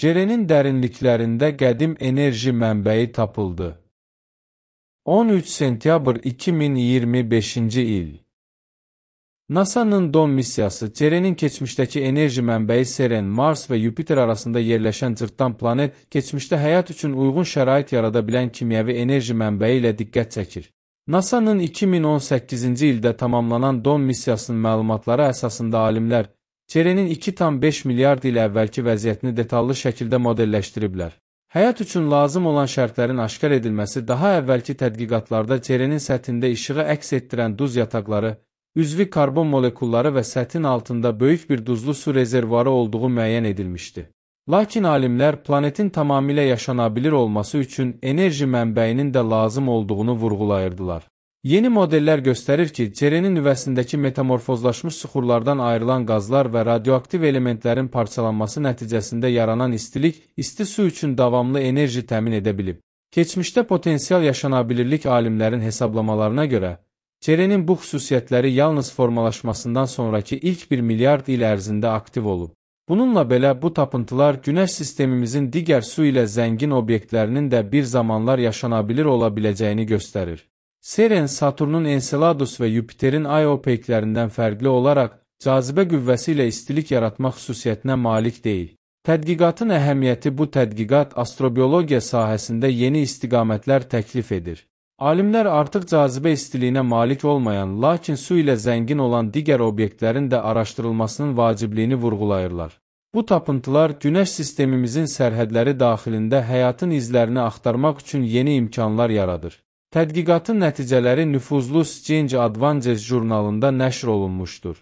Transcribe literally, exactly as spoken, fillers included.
Cerenin dərinliklərində qədim enerji mənbəyi tapıldı. on üç sentyabr iki min iyirmi beşinci il. NASA'nın Dawn missiyası Cerenin keçmişdəki enerji mənbəyi Seren, Mars və Yupiter arasında yerləşən cırtdan planet, keçmişdə həyat üçün uyğun şərait yarada bilən kimyəvi enerji mənbəyi ilə diqqət çəkir. NASA'nın iki min on səkkizinci ildə tamamlanan Dawn missiyasının məlumatları əsasında alimlər Cerenin iki tam beş milyard il əvvəlki vəziyyətini detallı şəkildə modelləşdiriblər. Həyat üçün lazım olan şərtlərin aşkar edilməsi daha əvvəlki tədqiqatlarda Cerenin səthində işığı əks etdirən duz yataqları, üzvi karbon molekulları və səthin altında böyük bir duzlu su rezervuarı olduğu müəyyən edilmişdi. Lakin alimlər planetin tamamilə yaşanabilir olması üçün enerji mənbəyinin də lazım olduğunu vurğulayırdılar. Yeni modellər göstərir ki, Cerenin nüvəsindəki metamorfozlaşmış suxurlardan ayrılan qazlar və radioaktiv elementlərin parçalanması nəticəsində yaranan istilik, isti su üçün davamlı enerji təmin edə bilib. Keçmişdə potensial yaşanabilirlik alimlərin hesablamalarına görə, Cerenin bu xüsusiyyətləri yalnız formalaşmasından sonraki ilk bir milyard il ərzində aktiv olub. Bununla belə bu tapıntılar Günəş sistemimizin digər su ilə zəngin obyektlərinin də bir zamanlar yaşanabilir ola biləcəyini göstərir. Seren, Saturnun Enceladus və Yupiterin Io peyklərindən fərqli olaraq cazibə qüvvəsi ilə istilik yaratmaq xüsusiyyətinə malik deyil. Tədqiqatın əhəmiyyəti bu tədqiqat astrobiologiya sahəsində yeni istiqamətlər təklif edir. Alimlər artıq cazibə istiliyinə malik olmayan, lakin su ilə zəngin olan digər obyektlərin də araşdırılmasının vacibliyini vurğulayırlar. Bu tapıntılar Günəş sistemimizin sərhədləri daxilində həyatın izlərini axtarmaq üçün yeni imkanlar yaradır. Tədqiqatın nəticələri nüfuzlu Science Advances jurnalında nəşr olunmuşdur.